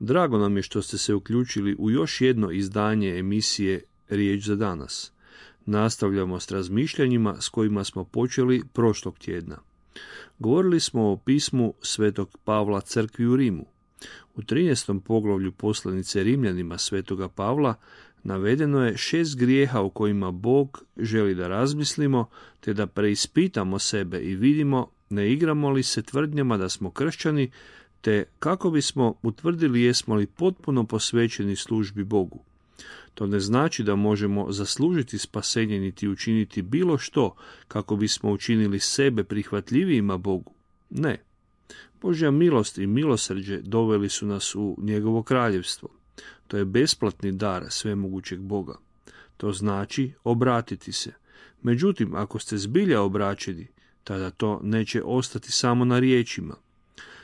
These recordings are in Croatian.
Drago nam je što ste se uključili u još jedno izdanje emisije Riječ za danas. Nastavljamo s razmišljanjima s kojima smo počeli prošlog tjedna. Govorili smo o pismu Svetog Pavla crkvi u Rimu. U 13. poglavlju poslanice Rimljanima Svetoga Pavla navedeno je 6 grijeha o kojima Bog želi da razmislimo, te da preispitamo sebe i vidimo ne igramo li se tvrdnjama da smo kršćani, te kako bismo utvrdili jesmo li potpuno posvećeni službi Bogu. To ne znači da možemo zaslužiti spasenje niti učiniti bilo što kako bismo učinili sebe prihvatljivijima Bogu. Ne. Božja milost i milosrđe doveli su nas u njegovo kraljevstvo. To je besplatni dar svemogućeg Boga. To znači obratiti se. Međutim, ako ste zbilja obraćeni, tada to neće ostati samo na riječima.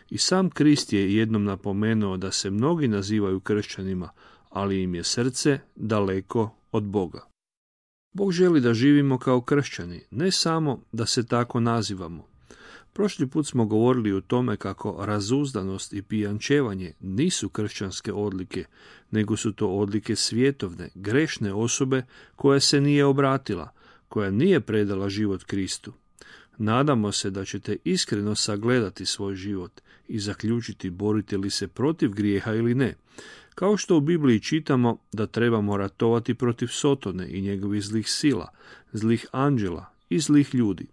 I sam Krist je jednom napomenuo da se mnogi nazivaju kršćanima, ali im je srce daleko od Boga. Bog želi da živimo kao kršćani, ne samo da se tako nazivamo. Prošli put smo govorili o tome kako razuzdanost i pijančevanje nisu kršćanske odlike, nego su to odlike svjetovne, grešne osobe koja se nije obratila, koja nije predala život Kristu. Nadamo se da ćete iskreno sagledati svoj život i zaključiti borite li se protiv grijeha ili ne. Kao što u Bibliji čitamo da trebamo ratovati protiv Sotone i njegovih zlih sila, zlih anđela i zlih ljudi.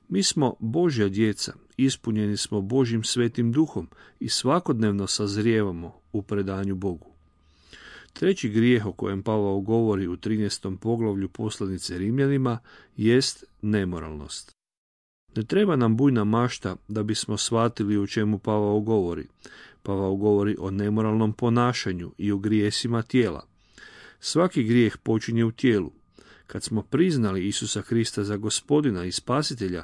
Mi smo Božja djeca, ispunjeni smo Božjim svetim duhom i svakodnevno sazrijevamo u predanju Bogu. Treći grijeh o kojem Pavao govori u 13. poglavlju poslanice Rimljanima jest nemoralnost. Ne treba nam bujna mašta da bismo shvatili o čemu Pavao govori. Pavao govori o nemoralnom ponašanju i o grijesima tijela. Svaki grijeh počinje u tijelu. Kad smo priznali Isusa Krista za Gospodina i Spasitelja,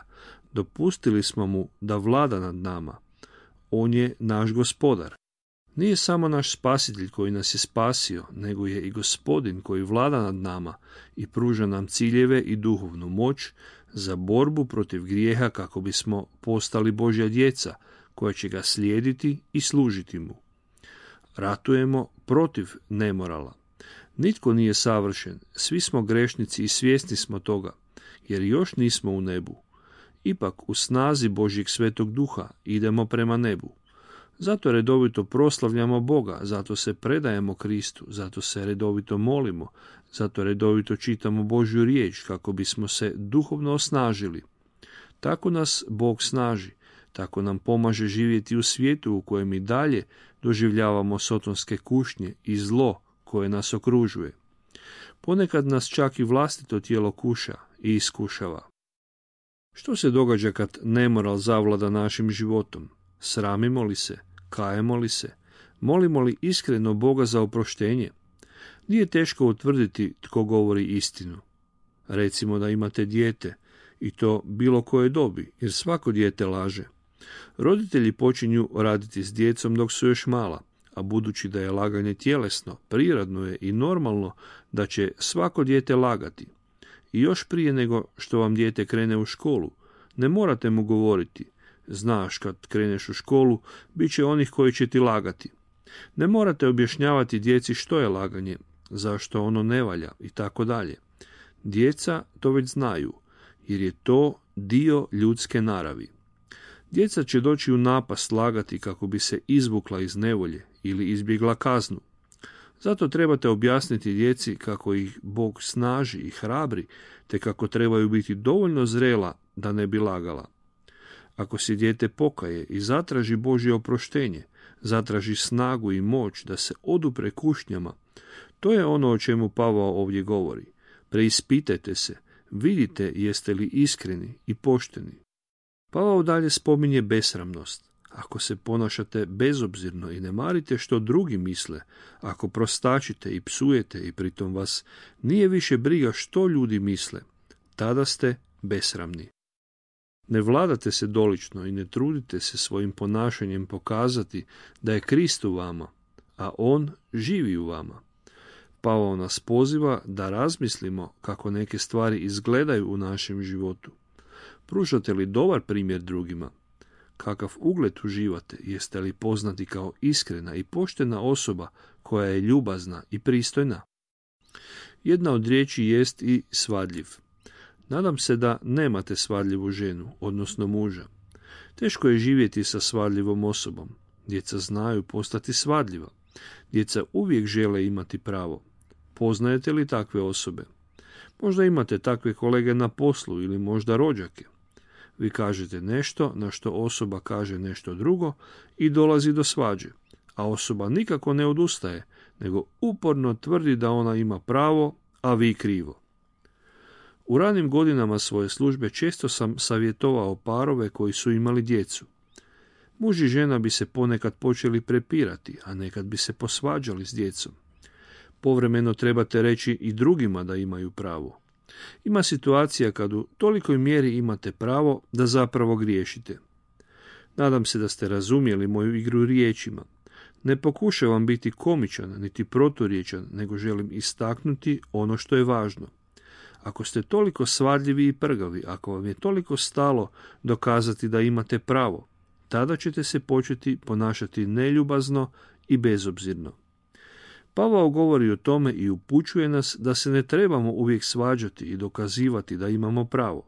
dopustili smo mu da vlada nad nama. On je naš Gospodar. Nije samo naš Spasitelj koji nas je spasio, nego je i Gospodin koji vlada nad nama i pruža nam ciljeve i duhovnu moć za borbu protiv grijeha kako bismo postali Božja djeca, koja će ga slijediti i služiti mu. Ratujemo protiv nemorala. Nitko nije savršen, svi smo grešnici i svjesni smo toga, jer još nismo u nebu. Ipak u snazi Božjeg svetog duha idemo prema nebu. Zato redovito proslavljamo Boga, zato se predajemo Kristu, zato se redovito molimo, zato redovito čitamo Božju riječ kako bismo se duhovno osnažili. Tako nas Bog snaži, tako nam pomaže živjeti u svijetu u kojem i dalje doživljavamo sotonske kušnje i zlo koje nas okružuje. Ponekad nas čak i vlastito tijelo kuša i iskušava. Što se događa kad nemoral zavlada našim životom? Sramimo li se? Kajemo li se? Molimo li iskreno Boga za oproštenje? Nije teško utvrditi tko govori istinu. Recimo da imate dijete, i to bilo koje dobi, jer svako dijete laže. Roditelji počinju raditi s djecom dok su još mala, a budući da je laganje tjelesno, prirodno je i normalno da će svako dijete lagati. I još prije nego što vam dijete krene u školu, ne morate mu govoriti, znaš kad kreneš u školu, bit će onih koji će ti lagati. Ne morate objašnjavati djeci što je laganje, zašto ono ne valja i tako dalje. Djeca to već znaju, jer je to dio ljudske naravi. Djeca će doći u napast lagati kako bi se izvukla iz nevolje ili izbjegla kaznu. Zato trebate objasniti djeci kako ih Bog snaži i hrabri, te kako trebaju biti dovoljno zrela da ne bi lagala. Ako se dijete pokaje i zatraži Božje oproštenje, zatraži snagu i moć da se odupre kušnjama, to je ono o čemu Pavao ovdje govori. Preispitajte se, vidite jeste li iskreni i pošteni. Pavao dalje spominje besramnost. Ako se ponašate bezobzirno i ne marite što drugi misle, ako prostačite i psujete i pritom vas nije više briga što ljudi misle, tada ste besramni. Ne vladate se dolično i ne trudite se svojim ponašanjem pokazati da je Krist u vama, a on živi u vama. Pavao nas poziva da razmislimo kako neke stvari izgledaju u našem životu. Pružate li dobar primjer drugima? kakav ugled uživate, jeste li poznati kao iskrena i poštena osoba koja je ljubazna i pristojna? Jedna od riječi jest i svadljiv. Nadam se da nemate svadljivu ženu, odnosno muža. Teško je živjeti sa svadljivom osobom. Djeca znaju postati svadljiva. Djeca uvijek žele imati pravo. Poznajete li takve osobe? Možda imate takve kolege na poslu ili možda rođake. Vi kažete nešto na što osoba kaže nešto drugo i dolazi do svađe, a osoba nikako ne odustaje, nego uporno tvrdi da ona ima pravo, a vi krivo. U ranim godinama svoje službe često sam savjetovao parove koji su imali djecu. Muž i žena bi se ponekad počeli prepirati, a nekad bi se posvađali s djecom. Povremeno trebate reći i drugima da imaju pravo. Ima situacija kad u tolikoj mjeri imate pravo da zapravo griješite. Nadam se da ste razumjeli moju igru riječima. Ne pokušavam biti komičan niti proturječan, nego želim istaknuti ono što je važno. Ako ste toliko svadljivi i prgavi, ako vam je toliko stalo dokazati da imate pravo, tada ćete se početi ponašati neljubazno i bezobzirno. Pavao govori o tome i upućuje nas da se ne trebamo uvijek svađati i dokazivati da imamo pravo.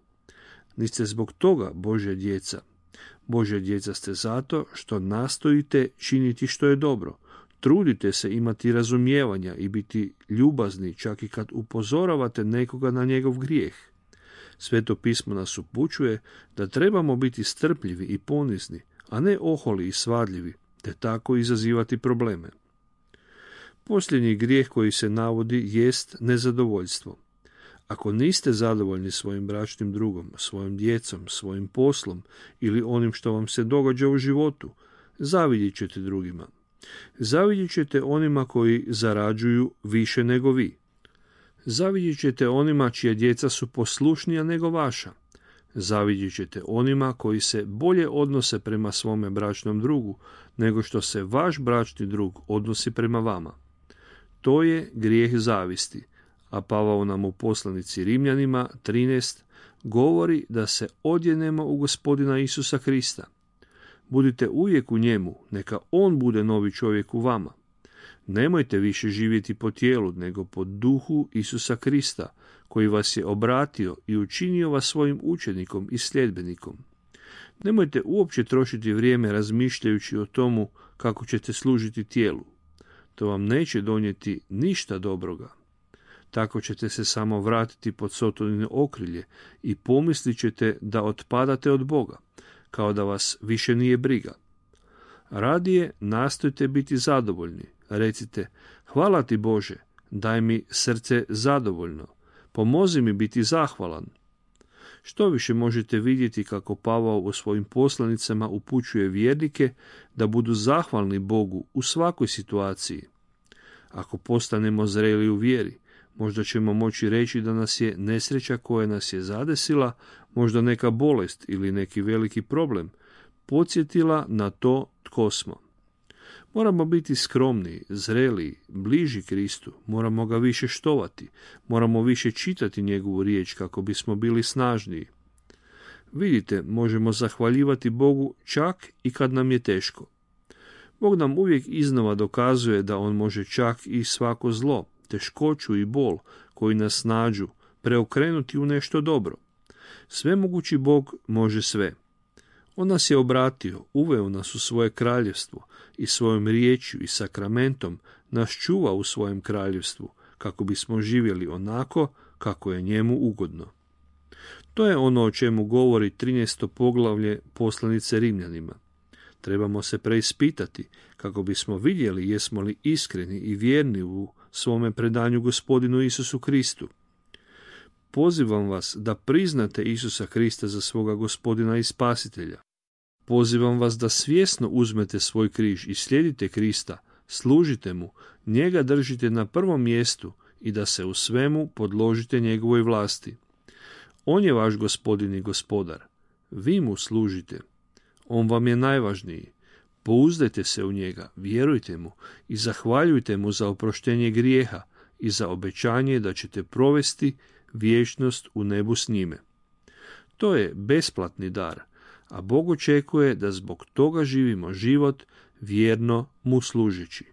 Niste zbog toga Božja djeca. Božja djeca ste zato što nastojite činiti što je dobro. Trudite se imati razumijevanja i biti ljubazni čak i kad upozoravate nekoga na njegov grijeh. Sveto pismo nas upućuje da trebamo biti strpljivi i ponizni, a ne oholi i svadljivi, te tako izazivati probleme. Posljednji grijeh koji se navodi jest nezadovoljstvo. Ako niste zadovoljni svojim bračnim drugom, svojom djecom, svojim poslom ili onim što vam se događa u životu, zavidjet ćete drugima. Zavidjet ćete onima koji zarađuju više nego vi. Zavidjet ćete onima čija djeca su poslušnija nego vaša. Zavidjet ćete onima koji se bolje odnose prema svome bračnom drugu nego što se vaš bračni drug odnosi prema vama. To je grijeh zavisti, a Pavao nam u poslanici Rimljanima 13 govori da se odjenemo u Gospodina Isusa Krista. Budite uvijek u njemu, neka on bude novi čovjek u vama. Nemojte više živjeti po tijelu, nego po duhu Isusa Krista, koji vas je obratio i učinio vas svojim učenikom i sljedbenikom. Nemojte uopće trošiti vrijeme razmišljajući o tomu kako ćete služiti tijelu. To vam neće donijeti ništa dobroga. Tako ćete se samo vratiti pod Sotonino okrilje i pomislit ćete da otpadate od Boga, kao da vas više nije briga. Radije nastojte biti zadovoljni. Recite, hvala ti Bože, daj mi srce zadovoljno, pomozi mi biti zahvalan. Što više možete vidjeti kako Pavao u svojim poslanicama upućuje vjernike da budu zahvalni Bogu u svakoj situaciji. Ako postanemo zreli u vjeri, možda ćemo moći reći da nas je nesreća koja nas je zadesila, možda neka bolest ili neki veliki problem, podsjetila na to tko smo. Moramo biti skromniji, zreliji, bliži Kristu, moramo ga više štovati, moramo više čitati njegovu riječ kako bismo bili snažniji. Vidite, možemo zahvaljivati Bogu čak i kad nam je teško. Bog nam uvijek iznova dokazuje da on može čak i svako zlo, teškoću i bol koji nas nađu preokrenuti u nešto dobro. Svemogući Bog može sve. On nas je obratio, uveo nas u svoje kraljevstvo i svojom riječju i sakramentom nas čuva u svojem kraljevstvu, kako bismo živjeli onako kako je njemu ugodno. To je ono o čemu govori 13. poglavlje poslanice Rimljanima. Trebamo se preispitati kako bismo vidjeli jesmo li iskreni i vjerni u svome predanju Gospodinu Isusu Kristu. Pozivam vas da priznate Isusa Krista za svoga Gospodina i Spasitelja. Pozivam vas da svjesno uzmete svoj križ i slijedite Krista, služite mu, njega držite na prvom mjestu i da se u svemu podložite njegovoj vlasti. On je vaš Gospodin i Gospodar. Vi mu služite. On vam je najvažniji. Pouzdajte se u njega, vjerujte mu i zahvaljujte mu za oproštenje grijeha i za obećanje da ćete provesti vječnost u nebu s njime. To je besplatni dar, a Bog očekuje da zbog toga živimo život vjerno mu služeći.